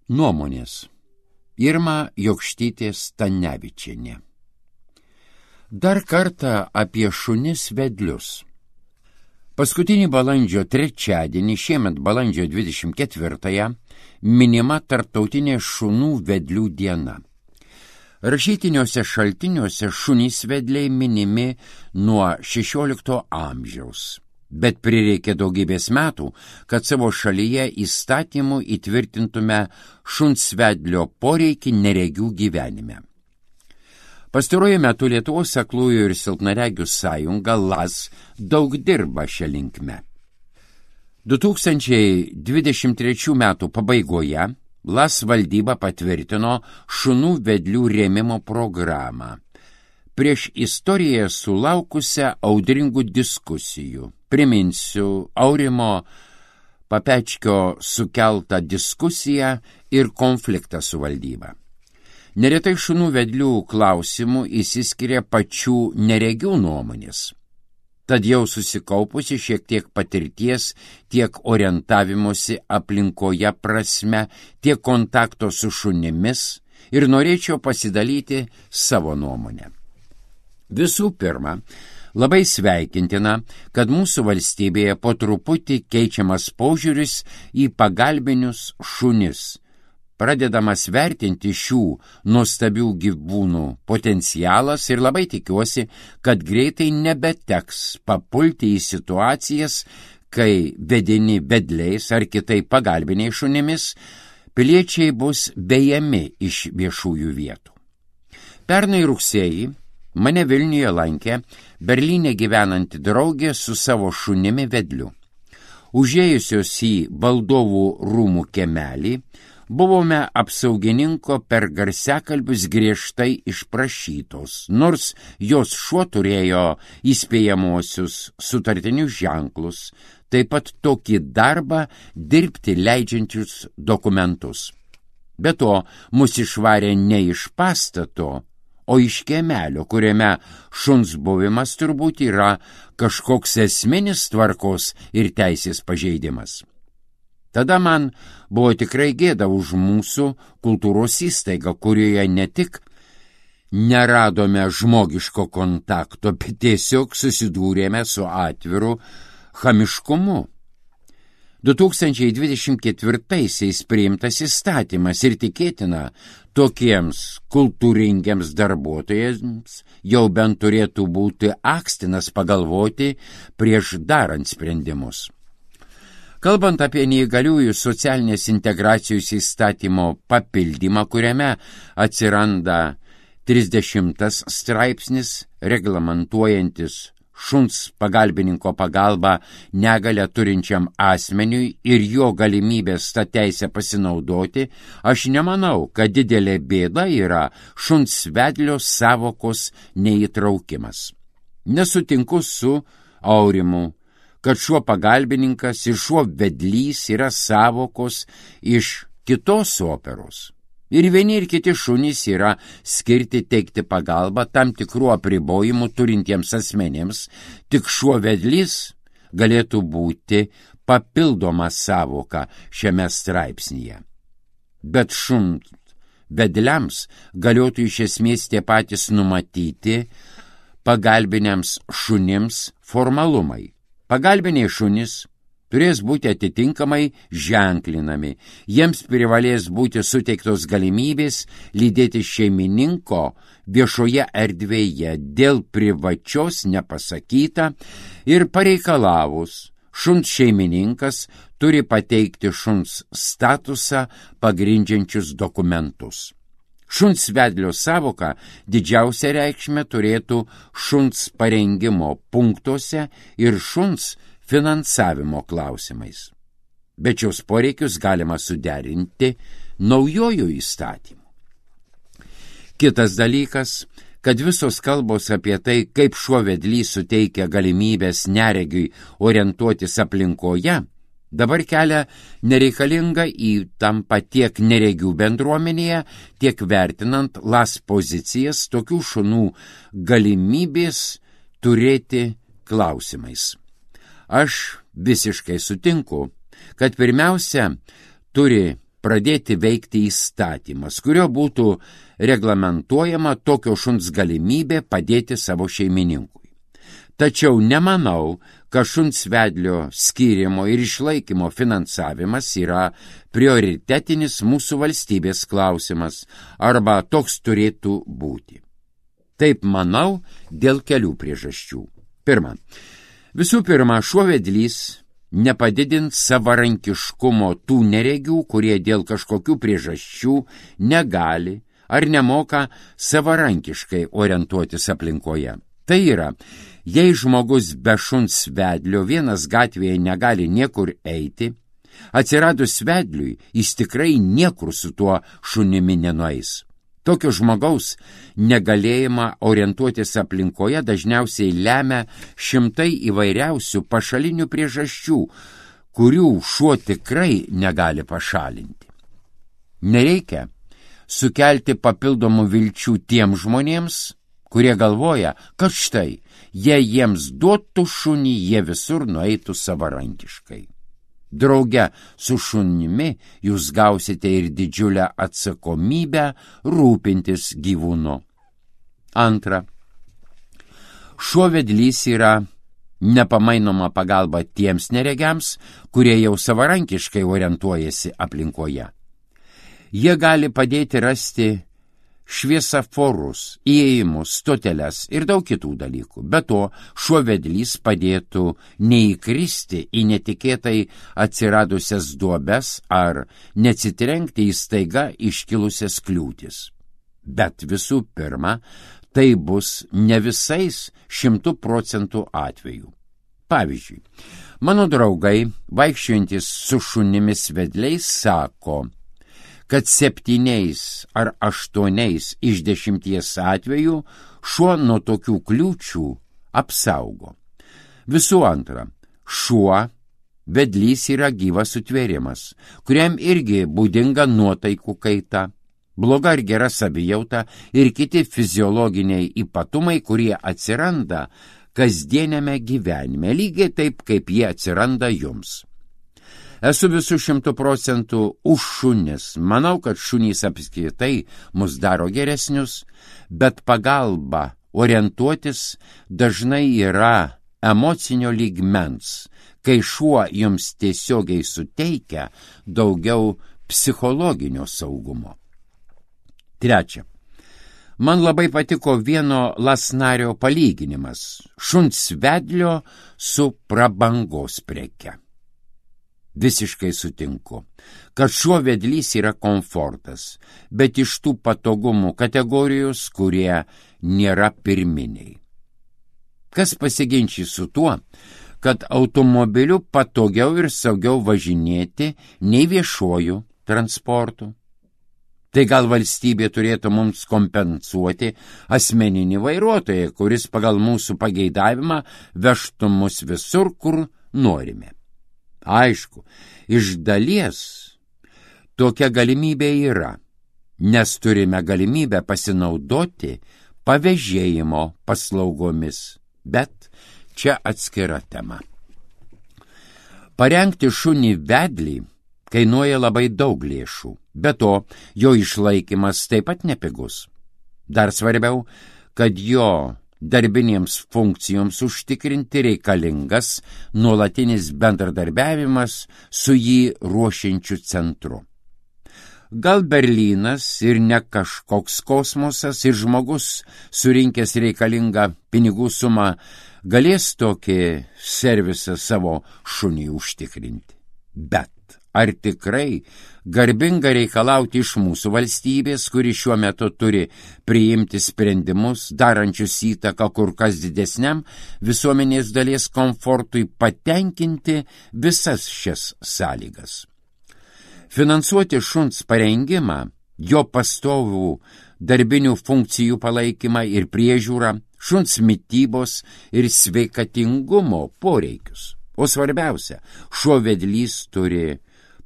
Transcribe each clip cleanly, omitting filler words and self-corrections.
Nuomonės. Irma Jokštytė Stanevičienė. Dar kartą apie šunis vedlius. Paskutinį balandžio trečiadienį, šiemet balandžio 24-ąją, minima Tarptautinė šunų vedlių diena. Rašytiniuose šaltiniuose šunys vedliai minimi nuo 16 amžiaus. Bet prireikė daugybės metų, kad savo šalyje įstatymu įtvirtintume šuns vedlio poreikį neregių gyvenime. Pastaruoju metu Lietuvos aklųjų ir silpnaregių sąjunga LAS daug dirba šią linkme. 2023 metų pabaigoje LAS valdyba patvirtino šunų vedlių rėmimo programą. Prieš istoriją sulaukusią audringų diskusijų. Priminsiu Aurimo Papečkio sukeltą diskusiją ir konfliktą su valdyba. Neretai šunų vedlių klausimų įsiskiria pačių neregių nuomonės. Tad jau susikaupusi šiek tiek patirties tiek orientavimosi aplinkoje prasme, tiek kontakto su šunimis ir norėčiau pasidalyti savo nuomonę. Visų pirma, labai sveikintina, kad mūsų valstybėje po truputį keičiamas požiūris į pagalbinius šunis, pradedamas vertinti šių nuostabių gyvūnų potencialas ir labai tikiuosi, kad greitai nebeteks papulti į situacijas, kai vedini vedliais ar kitaip pagalbiniais šunimis, piliečiai bus vejami iš viešųjų vietų. Pernai rugsėjį mane Vilniuje lankė Berlyne gyvenanti draugė su savo šunimi vedliu. Užėjusios į valdovų rūmų kiemelį, buvome apsaugininko per garsiakalbius griežtai išprašytos, nors jos šuo turėjo įspėjamosius sutartinius ženklus, taip pat tokį darbą dirbti leidžiančius dokumentus. Be to, mus išvarė ne iš pastato, o iš kiemelio, kuriame šuns buvimas turbūt yra kažkoks esminis tvarkos ir teisės pažeidimas. Tada man buvo tikrai gėda už mūsų kultūros įstaigą, kurioje ne tik neradome žmogiško kontakto, bet tiesiog susidūrėme su atviru chamiškumu. 2024-aisiais priimtas įstatymas ir tikėtina, tokiems kultūringiams darbuotojams jau bent turėtų būti akstinas pagalvoti prieš darant sprendimus. Kalbant apie neįgaliųjų socialinės integracijos įstatymo papildymą, kuriame atsiranda 30 straipsnis reglamentuojantis šuns pagalbininko pagalba negalią turinčiam asmeniui ir jo galimybės tą teisę pasinaudoti, aš nemanau, kad didelė bėda yra šuns vedlio sąvokos neįtraukimas. Nesutinku su Aurimu, kad šuo pagalbininkas ir šuo vedlys yra sąvokos iš kitos operos. Ir vieni ir kiti šunys yra skirti teikti pagalbą tam tikrų apribojimų turintiems asmenėms, tik šuo vedlys galėtų būti papildoma sąvoka šiame straipsnyje. Bet šuns vedliams galėtų iš esmės tie patys numatyti pagalbiniams šunims formalumai. Pagalbiniai šunys turės būti atitinkamai ženklinami. Jiems privalės būti suteiktos galimybės lydėti šeimininko viešoje erdvėje dėl privačios nepasakyta ir pareikalavus. Šuns šeimininkas turi pateikti šuns statusą pagrindžiančius dokumentus. Šuns vedlio sąvoka didžiausia reikšmė turėtų šuns parengimo punktuose ir šuns finansavimo klausimais. Bet šios poreikius galima suderinti naujojų įstatymų. Kitas dalykas, kad visos kalbos apie tai, kaip šuo vedlys suteikia galimybės neregiui orientuotis aplinkoje, dabar kelia nereikalingą įtampą tiek neregių bendruomenėje, tiek vertinant LAS pozicijas tokių šunų galimybės turėti klausimais. Aš visiškai sutinku, kad pirmiausia turi pradėti veikti įstatymas, kurio būtų reglamentuojama tokio šuns galimybė padėti savo šeimininkui. Tačiau nemanau, kad šuns vedlio skyrimo ir išlaikymo finansavimas yra prioritetinis mūsų valstybės klausimas, arba toks turėtų būti. Taip manau dėl kelių priežasčių. Visų pirma, šuo vedlys nepadidins savarankiškumo tų neregių, kurie dėl kažkokių priežasčių negali ar nemoka savarankiškai orientuotis aplinkoje. Tai yra, jei žmogus be šuns vedlio vienas gatvėje negali niekur eiti, atsiradus vedliui jis tikrai niekur su tuo šunimi nenueis. Tokio žmogaus negalėjimą orientuotis aplinkoje dažniausiai lemia šimtai įvairiausių pašalinių priežasčių, kurių šuo tikrai negali pašalinti. Nereikia sukelti papildomų vilčių tiem žmonėms, kurie galvoja, kad štai, jei jiems duotų šunį, jie visur nueitų savarankiškai. Drauge su šunimi jūs gausite ir didžiulę atsakomybę rūpintis gyvūnu. Antra, šuo vedlys yra nepamainoma pagalba tiems neregiams, kurie jau savarankiškai orientuojasi aplinkoje. Jie gali padėti rasti šviesaforus, įėjimus, stoteles ir daug kitų dalykų. Be to, šuo vedlys padėtų neįkristi į netikėtai atsiradusias duobes ar neatsitrenkti į staiga iškilusias kliūtis. Bet visų pirma, tai bus ne visais 100% atvejų. Pavyzdžiui, mano draugai, vaikščiojantis su šunimis vedliais, sako, kad 7 ar 8 iš 10 atvejų šuo nuo tokių kliūčių apsaugo. Visų antra, šuo vedlys yra gyvas sutvėrimas, kuriam irgi būdinga nuotaikų kaita, bloga ar gera savijauta ir kiti fiziologiniai ypatumai, kurie atsiranda kasdieniame gyvenime, lygiai taip, kaip jie atsiranda jums. Esu visų 100% už šunis. Manau, kad šunys apskritai mus daro geresnius, bet pagalba orientuotis dažnai yra emocinio lygmens, kai šuo jums tiesiogiai suteikia daugiau psichologinio saugumo. Trečia. Man labai patiko vieno lasnario palyginimas – šuns vedlio su prabangos preke. Visiškai sutinku, kad šuo vedlys yra komfortas, bet iš tų patogumų kategorijos, kurie nėra pirminiai. Kas pasiginčys su tuo, kad automobiliu patogiau ir saugiau važinėti nei viešuoju transportu? Tai gal valstybė turėtų mums kompensuoti asmeninį vairuotoją, kuris pagal mūsų pageidavimą vežtų mus visur, kur norime. Aišku, iš dalies tokia galimybė yra, nes turime galimybę pasinaudoti pavėžėjimo paslaugomis, bet čia atskira tema. Parengti šunį vedlį kainuoja labai daug lėšų, be to jo išlaikymas taip pat nepigus. Dar svarbiau, kad jo darbinėms funkcijoms užtikrinti reikalingas nuolatinis bendradarbiavimas su jį ruošiančiu centru. Gal Berlynas ir ne kažkoks kosmosas ir žmogus surinkęs reikalingą pinigų sumą galės tokį servisą savo šuniui užtikrinti. Bet ar tikrai garbinga reikalauti iš mūsų valstybės, kuri šiuo metu turi priimti sprendimus, darančius įtaką kur kas didesniam visuomenės dalies komfortui, patenkinti visas šias sąlygas? Finansuoti šuns parengimą, jo pastovų darbinių funkcijų palaikymą ir priežiūrą, šuns mitybos ir sveikatingumo poreikius. O svarbiausia, šuo vedlys turi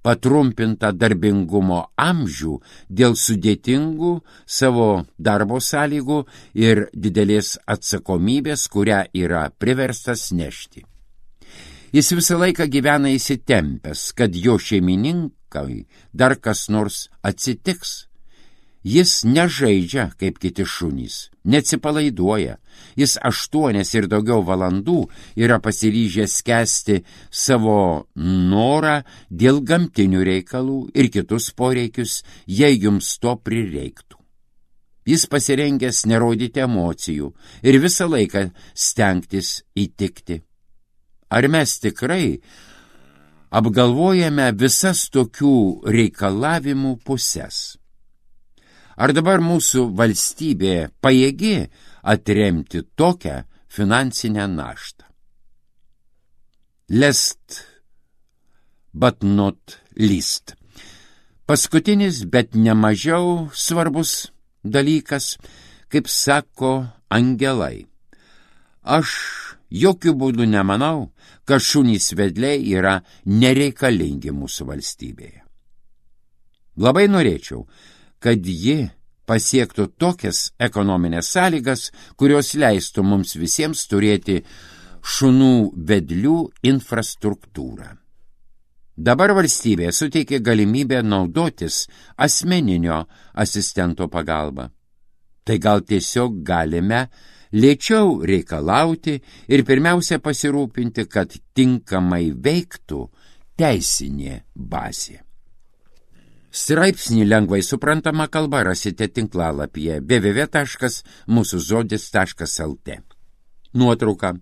patrumpintą darbingumo amžių dėl sudėtingų savo darbo sąlygų ir didelės atsakomybės, kurią yra priverstas nešti. Jis visą laiką gyvena įsitempęs, kad jo šeimininkas kai dar kas nors atsitiks. Jis nežaidžia kaip kiti šunys, neatsipalaiduoja. Jis 8 ir daugiau valandų yra pasiryžęs skęsti savo norą dėl gamtinių reikalų ir kitus poreikius, jei jums to prireiktų. Jis pasirengęs nerodyti emocijų ir visą laiką stengtis įtikti. Ar mes tikrai apgalvojame visas tokių reikalavimų puses? Ar dabar mūsų valstybė pajėgi atremti tokią finansinę naštą? Last but not least. Paskutinis, bet nemažiau svarbus dalykas, kaip sako angelai. Aš jokių būdų nemanau, kad šunys vedliai yra nereikalingi mūsų valstybėje. Labai norėčiau, kad ji pasiektų tokias ekonominės sąlygas, kurios leistų mums visiems turėti šunų vedlių infrastruktūrą. Dabar valstybė suteikia galimybę naudotis asmeninio asistento pagalba. Tai gal tiesiog galime lėčiau reikalauti ir pirmiausia pasirūpinti, kad tinkamai veiktų teisinė bazė. Straipsnį lengvai suprantama kalba rasite tinklalapyje www.mūsuzodis.lt. Nuotrauka.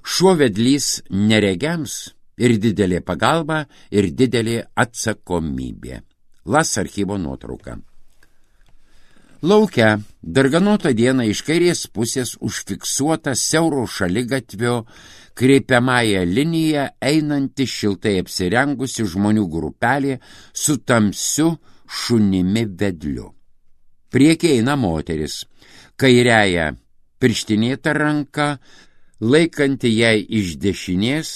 Šuo vedlys neregiams ir didelė pagalba ir didelė atsakomybė. Las archyvo nuotrauka. Lauke darganotą dieną iš kairės pusės užfiksuota siauro šaligatvio kreipiamąją liniją einanti šiltai apsirengusi žmonių grupelė su tamsiu šunimi vedliu. Priekyje eina moteris, kairiąja pirštinėta ranka, laikanti jai iš dešinės,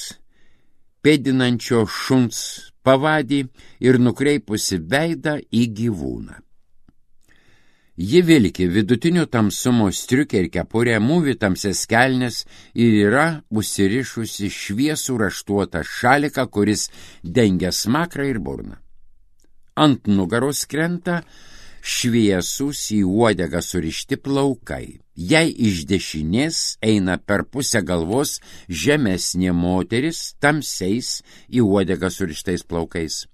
pėdinančio šuns pavadį ir nukreipusi veidą į gyvūną. Ji vilki vidutinio tamsumo striukę ir kepurę, mūvi tamsias kelnes ir yra užsirišusi šviesų raštuotą šaliką, kuris dengia smakrą ir burną. Ant nugaros krenta šviesūs į uodegą surišti plaukai. Jei iš dešinės eina per pusę galvos žemesnė moteris tamsiais į uodegą surištais plaukais.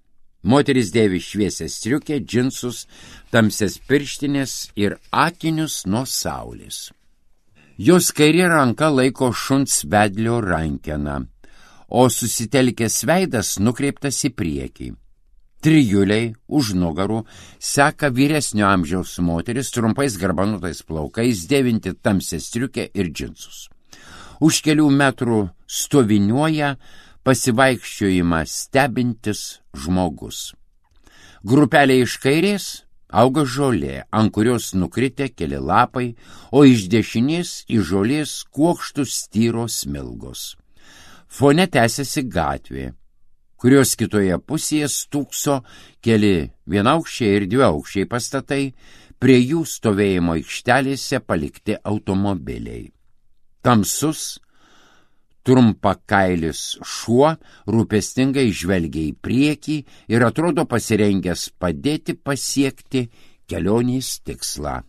Moteris dėvi šviesią striukę, džinsus, tamsias pirštinės ir akinius nuo saulės. Jos kairė ranka laiko šuns vedlio rankeną, o susitelkęs veidas nukreiptas į priekį. Trijuliai už nugarų seka vyresnio amžiaus moteris trumpais garbanutais plaukais, dėvinti tamsią striukę ir džinsus. Už kelių metrų stoviniuoja pasivaikščiojimą stebintis žmogus. Grupelė iš kairės auga žolė, ant kurios nukritę keli lapai, o iš dešinės į žolės kuokštus tyros smilgos. Fone tęsiasi gatvė, kurios kitoje pusėje stūkso keli vienaukščiai ir dviaukščiai pastatai, prie jų stovėjimo aikštelėse palikti automobiliai. Tamsus, trumpakailis šuo rūpestingai žvelgia į priekį ir atrodo pasirengęs padėti pasiekti kelionės tikslą.